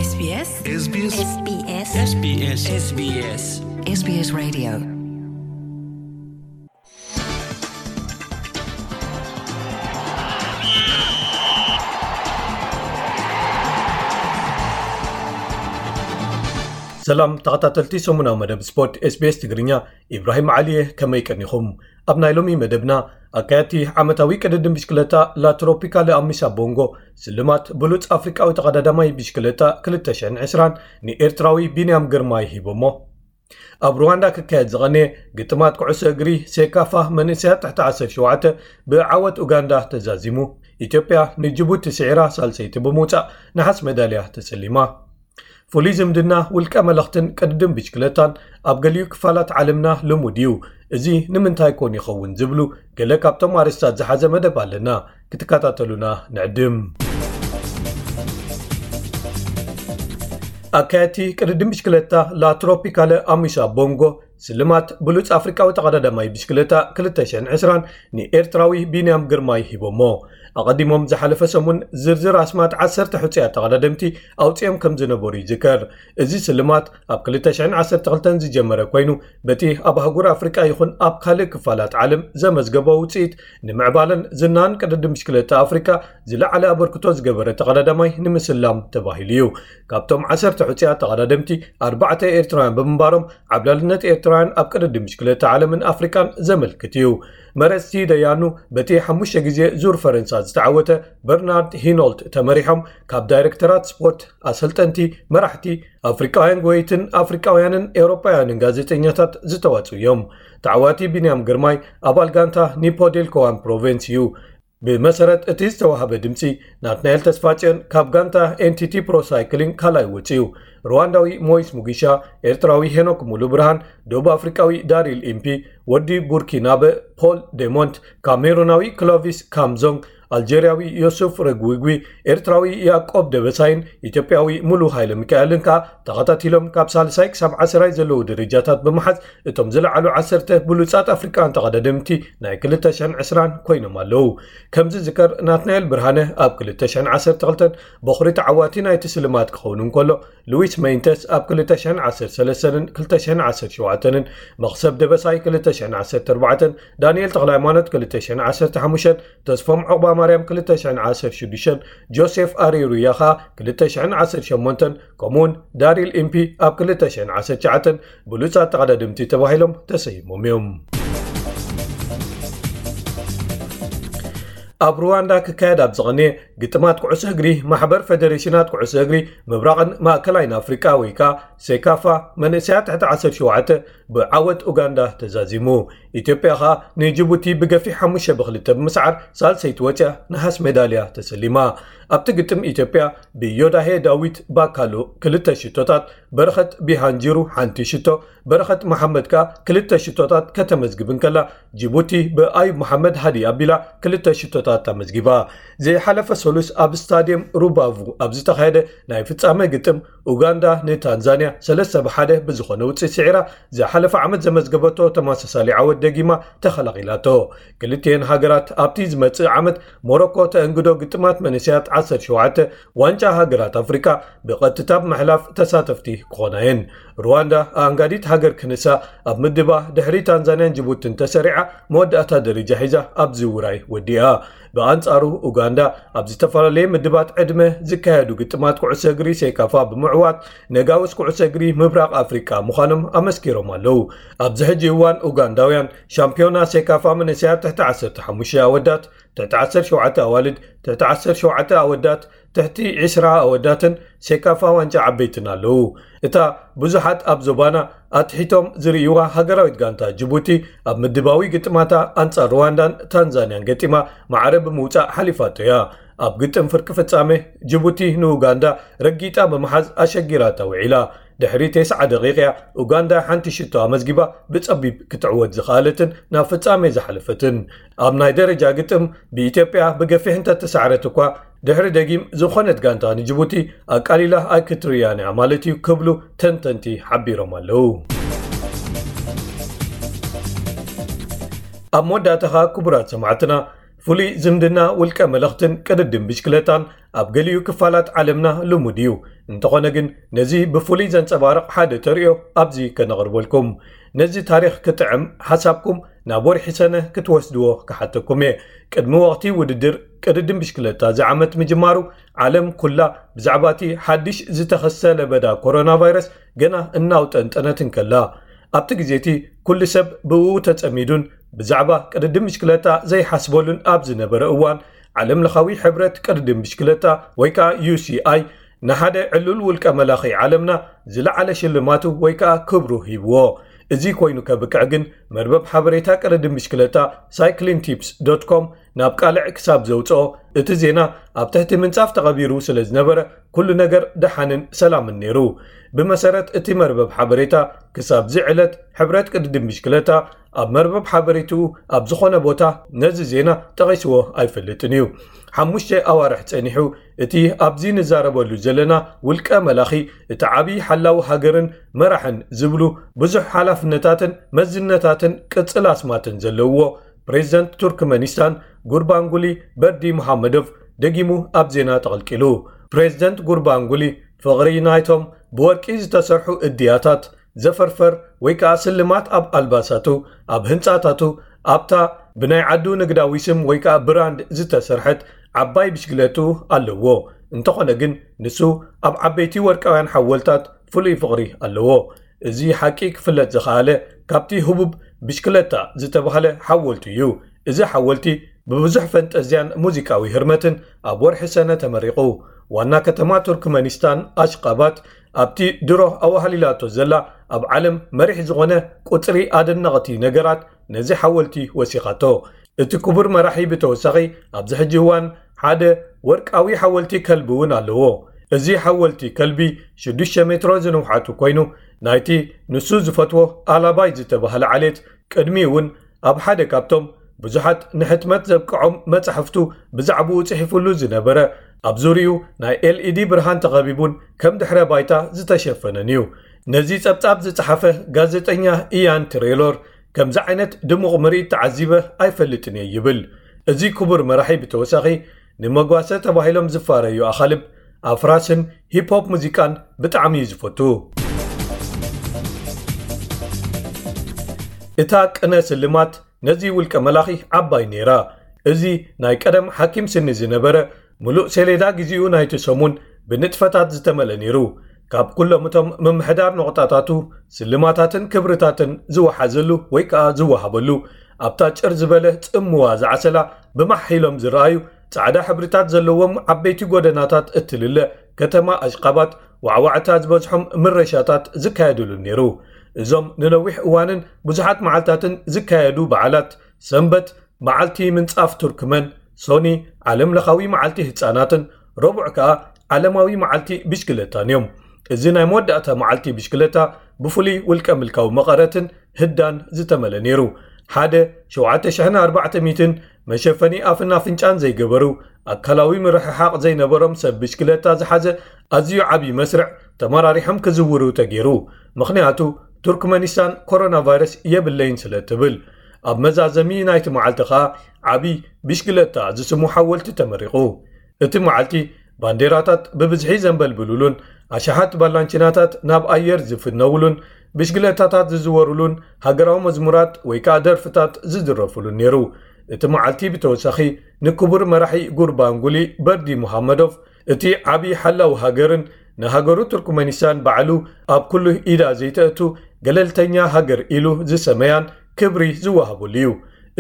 SBS SBS SBS SBS SBS SBS Radio. ሰላም ተኸታተልቲ ሰሙናዊ መደብ ስፖርት SBS ትግርኛ፣ ኢብራሂም ዓሊየ፣ ከመይ ቀኒኹም? ኣብ ናይ ሎሚ መደብና፣ ኣካየድቲ ዓመታዊ ቅድድም ብሽክለታ ላ ትሮፒካለ ኣሚሳ ቦንጎ ስልማት ብሉጽ ኣፍሪቃዊ ተቐዳዳማይ ብሽክለታ ክልተ ሽሕን ዕስራን ንኤርትራዊ ቢንያም ግርማይ ሂቦሞ። ኣብ ሩዋንዳ ክካየድ ዝቐነየ ግጥማት ኩዕሶ እግሪ ሴካፋ መንእሰያት ትሕቲ ዓሰርተ ሸውዓተ ብዓወት ኡጋንዳ ተዛዚሙ። ኢትዮጵያ ንጅቡቲ ስዒራ ሳልሰይቲ ብምውጻእ ነሓስ ሜዳልያ ተሰሊማ። ፍሉይ ዝምድና ውልቀ መለኽትን ቅድድም ብሽክለታን ኣብ ገሊኡ ክፋላት ዓለምና ልሙድ እዩ። እዚ ንምንታይ ኮን ይኸውን ዝብሉ ገለ ካብቶም ኣርእስታት ዝሓዘ መደብ ኣለና። ክትከታተሉና ንዕድም። ኣካየድቲ ቅድድም ብሽክለታ ላ ትሮፒካለ ኣሚሳ ቦንጎ ስልማት ብሉጽ ኣፍሪቃዊ ተቐዳዳማይ ብሽክለታ ክልተ ሽሕን ዕስራን ንኤርትራዊ ቢንያም ግርማይ ሂቦሞ። ኣቐዲሞም ዝሓለፈ ሰሙን ዝርዝር ኣስማት ዓሰርተ ሕጹያት ተቐዳደምቲ ኣውጺኦም ከም ዝነበሩ ይዝከር። እዚ ስልማት ኣብ ክልተ ሽሕን ዓሰርተ ክልተን ዝጀመረ ኮይኑ፣ በቲ ኣብ ኣህጉር ኣፍሪቃ ይኹን ኣብ ካልእ ክፋላት ዓለም ዘመዝገቦ ውጽኢት፣ ንምዕባለን ዝናን ቅድድም ብሽክለታ ኣፍሪቃ ዝለዓለ ኣበርክቶ ዝገበረ ተቐዳዳማይ ንምስላም ተባሂሉ እዩ። ካብቶም ዓሰርተ ሕጹያት ተቐዳደምቲ፣ ኣርባዕተ ኤርትራውያን ብምንባሮም፣ ዓብላልነት ኤርትራውያን ኣብ ቅድድም ብሽክለታ ዓለምን ኣፍሪቃን ዘመልክት እዩ። መረጽቲ ደያኑ በቲ ሓሙሽተ ግዜ ዙር ፈረንሳ ዝተዓወተ በርናርድ ሂኖልት ተመሪሖም፣ ካብ ዳይሬክተራት ስፖርት፣ ኣሰልጠንቲ፣ መራሕቲ፣ ኣፍሪቃውያን ጎየይትን ኣፍሪቃውያንን ኤውሮጳውያንን ጋዜጠኛታት ዝተዋጽኡ እዮም። ተዓዋቲ ቢንያም ግርማይ ኣባል ጋንታ ኒፖ ዴልኮዋን ፕሮቬንስ እዩ። ብመሰረት እቲ ዝተዋህበ ድምጺ፣ ናትናኤል ተስፋጽዮን ካብ ጋንታ ኤንቲቲ ፕሮ ሳይክሊንግ ካልኣይ ወጺኡ። ሩዋንዳዊ ሞይስ ሙጊሻ፣ ኤርትራዊ ሄኖክ ሙሉ ብርሃን፣ ደቡብ ኣፍሪቃዊ ዳሪል ኢምፒ፣ ወዲ ቡርኪናበ ፖል ዴሞንት፣ ካሜሩናዊ ክሎቪስ ካምዞንግ፣ ኣልጀርያዊ ዮሱፍ ረጉጉ፣ ኤርትራዊ ያዕቆብ ደበሳይን ኢትዮጵያዊ ሙሉ ሃይለ ሚካኤልን ከኣ ተኸታቲሎም ካብ ሳልሳይ ክሳብ ዓሰራይ ዘለዉ ደረጃታት ብምሓዝ እቶም ዝለዓሉ ዓሰርተ ብሉጻት ኣፍሪቃውያን ተቐዳደምቲ ናይ ክልተ ሽሕን ዕስራን ኮይኖም ኣለዉ። ከም ዝዝከር፣ ናትናኤል ብርሃነ ኣብ ክልተ ሽሕን ዓሰርተ ክልተን በኹሪ ተዓዋቲ ናይቲ ስልማት ክኸውን እንከሎ፣ ሉዊስ መይንተስ ኣብ ክልተ ሽሕን ዓሰርተ ሰለስተን ክልተ ሽሕን ዓሰርተ ሸውዓተን፣ መኽሰብ ደበሳይ ክልተ ሽሕን ዓሰርተ ኣርባዕተን፣ ዳንኤል ተኽለሃይማኖት ክልተ ሽሕን ዓሰርተ ሓሙሽተን፣ ተስፎም ዑቕባማርያም ክልተ ሽሕን ዓሰርተ ሽዱሽተን፣ ጆሴፍ ኣሪሩያ ኸኣ ክልተ ሽሕን ዓሰርተ ሸሞንተን፣ ከምኡውን ዳሪል ኢምፒ ኣብ ክልተ ሽሕን ዓሰርተ ትሽዓተን ብሉጻት ተቐዳደምቲ ተባሂሎም ተሰይሞም እዮም። ኣብ ሩዋንዳ ክካየድ ኣብ ዝቐነየ ግጥማት ኩዕሶ እግሪ፣ ማሕበር ፌደሬሽናት ኩዕሶ እግሪ ምብራቕን ማእከላይን ኣፍሪቃ ወይ ከኣ ሴካፋ መንእሰያት ትሕቲ ዓሰርተ ሸውዓተ ብዓወት ኡጋንዳ ተዛዚሙ። ኢትዮጵያ ኸኣ ንጅቡቲ ብገፊሕ ሓሙሽተ ብክልተ ብምስዓር ሳልሰይቲ ወጽያ ነሃስ ሜዳልያ ተሰሊማ። ኣብቲ ግጥም ኢትዮጵያ ብዮዳሄ ዳዊት ባካሎ ክልተ ሽቶታት፣ በረኸት ቢሃንጂሩ ሓንቲ ሽቶ፣ በረኸት መሓመድ ከኣ ክልተ ሽቶታት ከተመዝግብ እንከላ፣ ጅቡቲ ብኣዩብ መሓመድ ሃዲ ኣቢላ ክልተ ሽቶታት ኣመዝጊባ። ዝሓለፈ ሰሉስ ኣብ ስታድየም ሩባቩ ኣብ ዝተኻየደ ናይ ፍጻመ ግጥም፣ ኡጋንዳ ንታንዛንያ ሰለስተ ብሓደ ብዝኾነ ውጽኢት ስዒራ፣ ዝሓለፈ ዓመት ዘመዝገበቶ ተመሳሳሊ ዓወት ደጊማ ተኸላቒላቶ። ክልቲኤን ሃገራት ኣብቲ ዝመጽእ ዓመት ሞሮኮ ተእንግዶ ግጥማት መንእሰያት ዓሰርተ ሸውዓተ ዋንጫ ሃገራት ኣፍሪቃ ብቐጥታ ብምሕላፍ ተሳተፍቲ ክኾና እየን። ሩዋንዳ ኣንጋዲት ሃገር ክንሳ ኣብ ምድባ ድሕሪ ታንዛንያን ጅቡትን ተሰሪዓ መወዳእታ ደረጃ ሒዛ ኣብዚ ውራይ ወዲኣ። ብኣንጻሩ ኡጋንዳ ኣብ ዝተፈላለየ ምድባት ዕድመ ዝካየዱ ግጥማት ኩዕሶ እግሪ ሴካፋ ብምዕዋት ነጋውስ ኩዕሶ እግሪ ምብራቕ ኣፍሪቃ ምዃኖም ኣመስኪሮም ኣለዉ። ኣብዚ ሕጂ እዋን ኡጋንዳውያን ሻምፒዮና ሴካፋ መንእሰያት ትሕቲ ዓሰርተ ሓሙሽተ ኣወዳት፣ ትሕቲ ዓሰርተ ሸውዓተ ኣዋልድ፣ ትሕቲ ዓሰርተ ሸውዓተ ኣወዳት፣ ትሕቲ ዕስራ ኣወዳትን ሴካፋ ዋንጫ ዓበይትን ኣለዉ። እታ ብዙሓት ኣብ ዞባና ኣትሒቶም ዝርእይዋ ሃገራዊት ጋንታ ጅቡቲ ኣብ ምድባዊ ግጥማታ ኣንጻር ሩዋንዳን ታንዛንያን ገጢማ ማዕረ ብምውጻእ ሓሊፋቶ እያ። ኣብ ግጥም ፍርቂ ፍጻሜ ጅቡቲ ንኡጋንዳ ረጊጣ ብምሓዝ ኣሸጊራታ ውዒላ። ድሕሪ ተስዓ ደቂቕ እያ ኡጋንዳ ሓንቲ ሽቶ ኣመዝጊባ ብጸቢብ ክትዕወት ዝኸኣለትን ናብ ፍጻሜ ዝሓለፈትን። ኣብ ናይ ደረጃ ግጥም ብኢትዮጵያ ብገፊሕ እንተተሳዕረት እኳ፣ ድሕሪ ደጊም ዝኾነት ጋንታ ንጅቡቲ ኣቃሊላ ኣይክትርእያን እያ ማለት እዩ ክብሉ ተንተንቲ ሓቢሮም ኣለዉ። ኣብ መወዳእታ ኸኣ ክቡራት ሰማዕትና፣ ፍሉይ ዝምድና ውልቀ መለኽትን ቅድድም ብሽክለታን ኣብ ገሊኡ ክፋላት ዓለምና ልሙድ እዩ። እንተኾነ ግን ነዚ ብፍሉይ ዘንጸባርቕ ሓደ ተርእዮ ኣብዚ ከነቕርበልኩም። ነዚ ታሪኽ ክጥዕም ሓሳብኩም ናብ ወርሒ ሰነ ክትወስድዎ ክሓተኩም እየ። ቅድሚ ወቕቲ ውድድር ቅድድም ብሽክለታ እዚ ዓመት ምጅማሩ ዓለም ኩላ ብዛዕባ እቲ ሓድሽ ዝተኸሰ ለበዳ ኮሮና ቫይረስ ገና እናውጠንጠነት እንከላ ኣብቲ ግዜ እቲ ኩሉ ሰብ ብእኡ ተጸሚዱን ብዛዕባ ቅድድም ብሽክለታ ዘይሓስበሉን ኣብ ዝነበረ እዋን ዓለም ለኻዊ ሕብረት ቅድድም ብሽክለታ ወይ ከዓ ዩ ሲ ኣይ ንሓደ ዕሉል ውልቀ መላኺ ዓለምና ዝለዓለ ሽልማቱ ወይ ከዓ ክብሩ ሂብዎ። እዚ ኮይኑ ከብቅዕ ግን መርበብ ሓበሬታ ቅድድም ብሽክለታ ሳይክሊን ቲፕስ ዶት ኮም ናብ ቃልዕ ክሳብ ዘውፅኦ እቲ ዜና ኣብ ትሕቲ ምንፃፍ ተቐቢሩ ስለ ዝነበረ ኩሉ ነገር ደሓንን ሰላምን ነይሩ። ብመሰረት እቲ መርበብ ሓበሬታ ክሳብ እዚ ዕለት ሕብረት ቅድድም ብሽክለታ ኣብ መርበብ ሓበሬትኡ ኣብ ዝኾነ ቦታ ነዚ ዜና ጠቒስዎ ኣይፈልጥን እዩ። ሓሙሽተ ኣዋርሕ ጸኒሑ እቲ ኣብዚ ንዛረበሉ ዘለና ውልቀ መላኺ እቲ ዓብዪ ሓላዊ ሃገርን መራሕን ዝብሉ ብዙሕ ሓላፍነታትን መዝነታትን ቅጽል ኣስማትን ዘለውዎ ፕሬዝደንት ቱርክመኒስታን ጉርባንጉሊ በርዲ መሓመዶቭ ደጊሙ ኣብ ዜና ተቐልቂሉ። ፕሬዝደንት ጉርባንጉሊ ፍቕሪ ናይቶም ብወርቂ ዝተሰርሑ እድያታት ዘፈርፈር ወይ ከዓ ስልማት ኣብ ኣልባሳቱ፣ ኣብ ህንፃታቱ፣ ኣብታ ብናይ ዓዱ ንግዳዊ ስም ወይ ከዓ ብራንድ ዝተሰርሐት ዓባይ ብሽክለቱ ኣለዎ። እንተኾነ ግን ንሱ ኣብ ዓበይቲ ወርቃውያን ሓወልታት ፍሉይ ፍቕሪ ኣለዎ። እዚ ሓቂ ክፍለጥ ዝኸኣለ ካብቲ ህቡብ ብሽክለታ ዝተባህለ ሓወልቱ እዩ። እዚ ሓወልቲ ብብዙሕ ፈንጠዝያን ሙዚቃዊ ህርመትን ኣብ ወርሒ ሰነ ተመሪቑ። ዋና ከተማ ቱርክመኒስታን ኣሽቃባት ኣብቲ ድሮ ኣዋሃሊላቶ ዘላ ኣብ ዓለም መሪሕ ዝኾነ ቁጽሪ ኣደነቕቲ ነገራት ነዚ ሓወልቲ ወሲኻቶ። እቲ ክቡር መራሒ ብተወሳኺ ኣብዚ ሕጂ እዋን ሓደ ወርቃዊ ሓወልቲ ከልቢ እውን ኣለዎ። እዚ ሓወልቲ ከልቢ ሽዱሽተ ሜትሮ ዝንውሓቱ ኮይኑ ናይቲ ንሱ ዝፈትዎ ኣላባይ ዝተባህለ ዓሌት ቅድሚ እውን ኣብ ሓደ ካብቶም ብዙሓት ንሕትመት ዘብቅዖም መጻሕፍቱ ብዛዕባኡ ጽሒፉሉ ዝነበረ ኣብ ዙሪኡ ናይ ኤልኢዲ ብርሃን ተኸቢቡን ከም ድሕረ ባይታ ዝተሸፈነን እዩ። ነዚ ጸብጻብ ዝጸሓፈ ጋዜጠኛ ኢያን ትሬሎር ከምዚ ዓይነት ድሙቕ ምርኢት ተዓዚበ ኣይፈልጥን እየ ይብል። እዚ ክቡር መራሒ ብተወሳኺ ንመጓሰ ተባሂሎም ዝፋረዩ ኣኻልብ ኣፍራስን ሂፕ ሆፕ ሙዚቃን ብጣዕሚ እዩ ዝፈቱ። እታ ቅነ ስልማት ነዚ ውልቀ መላኺ ዓባይ ነይራ። እዚ ናይ ቀደም ሓኪም ስኒ ዝነበረ ምሉእ ሰሌዳ ግዜኡ ናይቲ ሰሙን ብንጥፈታት ዝተመልአ ነይሩ። ካብ ኩሎም እቶም ምምሕዳር ነቑጣታቱ ስልማታትን ክብርታትን ዝወሓዘሉ ወይ ከዓ ዝወሃበሉ ኣብታ ጭር ዝበለ ጽምዋ ዝዓሰላ ብማሕ ኢሎም ዝረኣዩ ጻዕዳ ሕብርታት ዘለዎም ዓበይቲ ጎደናታት እትልለ ከተማ ኣሽቃባት ዋዕዋዕታ ዝበዝሖም ምረሻታት ዝካየድሉ ነይሩ። እዞም ንነዊሕ እዋንን ብዙሓት መዓልታትን ዝካየዱ በዓላት ሰንበት መዓልቲ ምንጻፍ ቱርክመን፣ ሶኒ ዓለም ለኻዊ መዓልቲ ህጻናትን ረቡዕ ከኣ ዓለማዊ መዓልቲ ብሽክለታን እዮም። እዚ ናይ መወዳእታ መዓልቲ ብሽክለታ ብፍሉይ ውልቀ ምልካዊ መቐረትን ህዳን ዝተመለ ነይሩ። ሓደ ሸውዓተ ሽሕን ኣርባዕተ ሚእትን መሸፈኒ ኣፍን ኣፍንጫን ዘይገበሩ ኣካላዊ ምርሕሓቕ ዘይነበሮም ሰብ ብሽክለታ ዝሓዘ ኣዝዩ ዓብዪ መስርዕ ተመራሪሖም ክዝውሩ ተገይሩ። ምኽንያቱ ቱርክመኒስታን ኮሮና ቫይረስ የብለይን ስለ ትብል። ኣብ መዛዘሚ ናይቲ መዓልቲ ኸኣ ዓቢ ብሽክለታ ዝስሙ ሓወልቲ ተመሪቑ። እቲ መዓልቲ ባንዴራታት ብብዝሒ ዘንበልብሉሉን ኣሽሓት ባላንቺናታት ናብ ኣየር ዝፍነውሉን ብሽክለታታት ዝዝወሩሉን ሃገራዊ መዝሙራት ወይ ከኣ ደርፍታት ዝድረፉሉን ነይሩ። እቲ መዓልቲ ብተወሳኺ ንክቡር መራሒ ጉርባንጉሊ በርዲ ሙሃመዶቭ እቲ ዓቢ ሓላዊ ሃገርን ንሃገሩ ቱርክመኒስታን ባዕሉ ኣብ ኩሉ ኢዳ ዘይተእቱ ገለልተኛ ሃገር ኢሉ ዝሰመያን ክብሪ ዝወሃበሉ እዩ።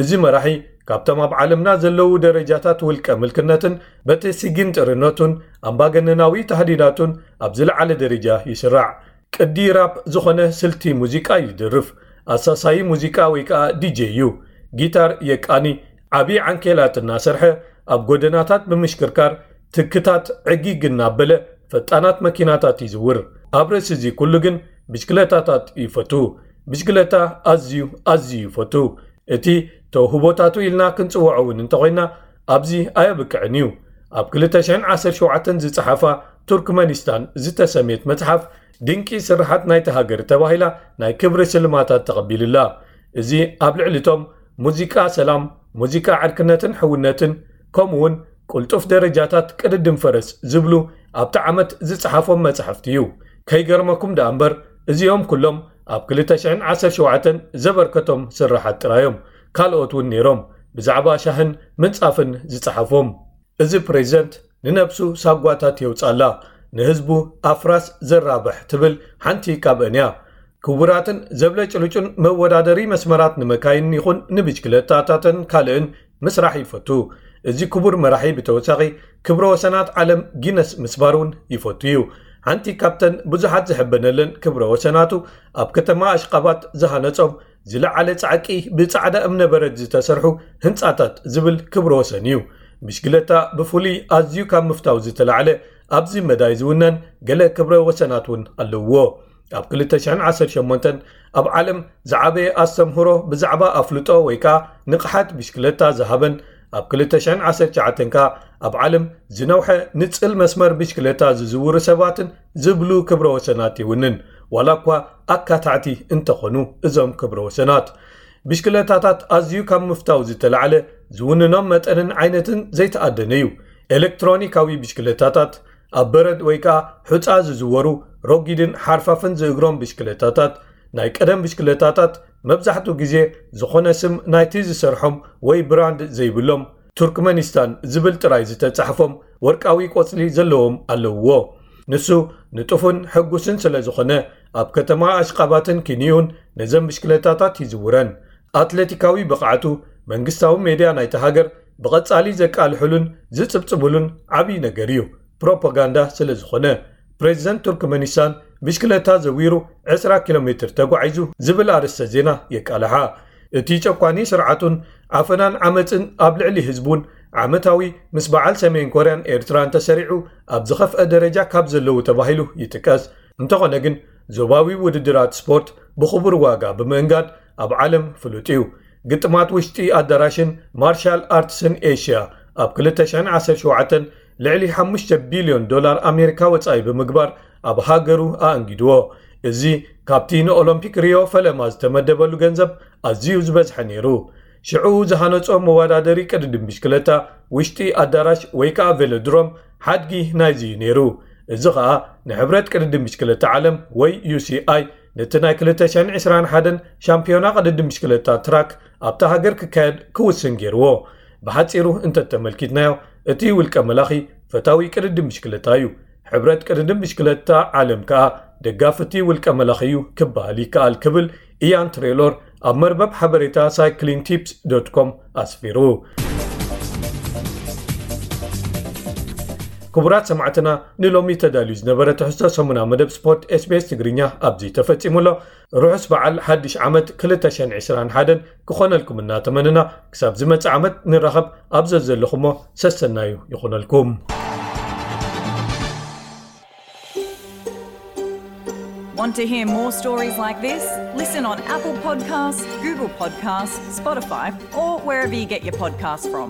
እዚ መራሒ ካብቶም ኣብ ዓለምና ዘለዉ ደረጃታት ውልቀ ምልክነትን በቲ ስጊንጥርነቱን ኣምባገነናዊ ታህዲዳቱን ኣብ ዝለዓለ ደረጃ ይስራዕ። ቅዲ ራፕ ዝኾነ ስልቲ ሙዚቃ ይድርፍ። ኣሳሳዪ ሙዚቃ ወይ ከኣ ዲጄ እዩ። ጊታር የቃኒ፣ ዓቢ ዓንኬላት እናሰርሐ ኣብ ጎደናታት ብምሽክርካር ትክታት ዕጊግ እናበለ ፈጣናት መኪናታት ይዝውር። ኣብ ርእሲ እዚ ኩሉ ግን ብሽክለታታት ይፈቱ። ብሽክለታ ኣዝዩ ኣዝዩ ይፈቱ። እቲ ተውህቦታቱ ኢልና ክንጽውዖ እውን እንተኾይና ኣብዚ ኣየብቅዕን እዩ። ኣብ ክልተ ሽሕን ዓሰርተ ሸውዓተን ዝጸሓፋ ቱርክመኒስታን ዝተሰምየት መጽሓፍ ድንቂ ስርሓት ናይቲ ሃገር ተባሂላ ናይ ክብሪ ስልማታት ተቐቢሉላ። እዚ ኣብ ልዕሊ እቶም ሙዚቃ ሰላም፣ ሙዚቃ ዕርክነትን ሕውነትን፣ ከምኡውን ቅልጡፍ ደረጃታት ቅድድም ፈረስ ዝብሉ ኣብቲ ዓመት ዝጸሓፎም መጻሕፍቲ እዩ። ከይገርመኩም ደኣ እምበር፣ እዚኦም ኩሎም ኣብ ክልተ ሽሕን ዓሰርተ ሸውዓተን ዘበርከቶም ስራሓት ጥራዮም። ካልኦት እውን ነይሮም፣ ብዛዕባ ሻህን ምንጻፍን ዝጸሓፎም። እዚ ፕሬዚደንት ንነብሱ ሳጓታት የውጻላ፣ ንህዝቡ ኣፍራስ ዘራብሕ ትብል ሓንቲ ካብአን እያ። ክቡራትን ዘብለጭልጩን መወዳደሪ መስመራት ንመካይን ይኹን ንብሽክለታታትን ካልእን ምስራሕ ይፈቱ። እዚ ክቡር መራሒ ብተወሳኺ ክብረ ወሰናት ዓለም ጊነስ ምስባር እውን ይፈቱ እዩ። ሓንቲ ካብተን ብዙሓት ዝሕበነለን ክብረ ወሰናቱ፣ ኣብ ከተማ ኣሽቓባት ዝሃነጾም ዝለዓለ ጻዕቂ ብጻዕዳ እምነበረድ ዝተሰርሑ ህንጻታት ዝብል ክብረ ወሰን እዩ። ብሽክለታ ብፍሉይ ኣዝዩ ካብ ምፍታው ዝተላዕለ ኣብዚ መዳይ ዝውነን ገለ ክብረ ወሰናት እውን ኣለውዎ። ኣብ ክልተ ሽሕን ዓሰርተ ሸሞንተን ኣብ ዓለም ዝዓበየ ኣስተምህሮ ብዛዕባ ኣፍልጦ ወይ ከኣ ንቕሓት ብሽክለታ ዝሃበን፣ ኣብ ክልተ ሽሕን ዓሰርተ ትሽዓተን ከኣ ኣብ ዓለም ዝነውሐ ንጽል መስመር ብሽክለታ ዝዝውሩ ሰባትን ዝብሉ ክብረ ወሰናት ይውንን፣ ዋላ እኳ ኣካታዕቲ እንተኾኑ እዞም ክብረ ወሰናት። ብሽክለታታት ኣዝዩ ካብ ምፍታው ዝተላዕለ ዝውንኖም መጠንን ዓይነትን ዘይተኣደነ እዩ። ኤሌክትሮኒካዊ ብሽክለታታት፣ ኣብ በረድ ወይ ከኣ ሑጻ ዝዝወሩ ረጒድን ሓርፋፍን ዝእግሮም ብሽክለታታት፣ ናይ ቀደም ብሽክለታታት መብዛሕትኡ ግዜ ዝኾነ ስም ናይቲ ዝሰርሖም ወይ ብራንድ ዘይብሎም፣ ቱርክመኒስታን ዝብል ጥራይ ዝተጻሕፎም ወርቃዊ ቆጽሊ ዘለዎም ኣለውዎ። ንሱ ንጡፍን ሕጉስን ስለ ዝኾነ፣ ኣብ ከተማ ኣሽቓባትን ኪንዩን ነዘን ብሽክለታታት ይዝውረን። ኣትሌቲካዊ ብቕዓቱ መንግስታዊ ሜድያ ናይቲ ሃገር ብቐጻሊ ዘቃልሕሉን ዝጽብጽብሉን ዓብዪ ነገር እዩ። ፕሮፓጋንዳ ስለ ዝኾነ፣ ፕሬዚደንት ቱርክመኒስታን ብሽክለታ ዘዊሩ ዕስራ ኪሎ ሜትር ተጓዒዙ ዝብል ኣርእስተ ዜና የቃልሓ። እቲ ጨቋኒ ስርዓቱን ዓፈናን ዓመጽን ኣብ ልዕሊ ህዝቡን ዓመታዊ ምስ በዓል ሰሜን ኮርያን ኤርትራን ተሰሪዑ ኣብ ዝኸፍአ ደረጃ ካብ ዘለዉ ተባሂሉ ይጥቀስ። እንተኾነ ግን፣ ዞባዊ ውድድራት ስፖርት ብኽቡር ዋጋ ብምእንጋድ ኣብ ዓለም ፍሉጥ እዩ። ግጥማት ውሽጢ ኣዳራሽን ማርሻል ኣርትስን ኤሽያ ኣብ ክልተ ሽሕን ዓሰርተ ሸውዓተን ልዕሊ ሓሙሽተ ቢልዮን ዶላር ኣሜሪካ ወጻኢ ብምግባር ኣብ ሃገሩ ኣእንጊድዎ። እዚ ካብቲ ንኦሎምፒክ ሪዮ ፈለማ ዝተመደበሉ ገንዘብ ኣዝዩ ዝበዝሐ ነይሩ። ሽዑ ዝሃነጾ መወዳደሪ ቅድድም ብሽክለታ ውሽጢ ኣዳራሽ ወይ ከኣ ቬሎድሮም ሓድጊ ናይዚ እዩ ነይሩ። እዚ ኸኣ ንሕብረት ቅድድም ብሽክለታ ዓለም ወይ ዩ ሲ ኣይ ነቲ ናይ ክልተ ሽሕን ዕስራን ሓደን ሻምፒዮና ቅድድም ብሽክለታ ትራክ ኣብታ ሃገር ክካየድ ክውስን ገይርዎ። ብሓጺሩ እንተተመልኪትናዮ፣ እቲ ውልቀ መላኺ ፈታዊ ቅድድም ብሽክለታ እዩ። ሕብረት ቅድድም ብሽክለታ ዓለም ከኣ ደጋፊ እቲ ውልቀ መላኺ እዩ ክበሃል ይከኣል ክብል ኢያን ትሬሎር ኣብ መርበብ ሓበሬታ ሳይክሊንግ ቲፕስ ዶት ኮም ኣስፊሩ። ክቡራት ሰማዕትና፣ ንሎሚ ተዳልዩ ዝነበረ ትሕዝቶ ሰሙና መደብ ስፖርት ኤስ ቢ ኤስ ትግርኛ ኣብዚ ተፈጺሙ ኣሎ። ርሑስ በዓል ሓድሽ ዓመት ክልተ ሽሕን ዕስራን ሓደን ክኾነልኩም እናተመነና፣ ክሳብ ዝመጽእ ዓመት ንራኸብ። ኣብ ዘዘለኹሞ ሰሰናዩ ይኹነልኩም። Want to hear more stories like this? Listen on Apple Podcasts, Google Podcasts, Spotify, or wherever you get your podcasts from.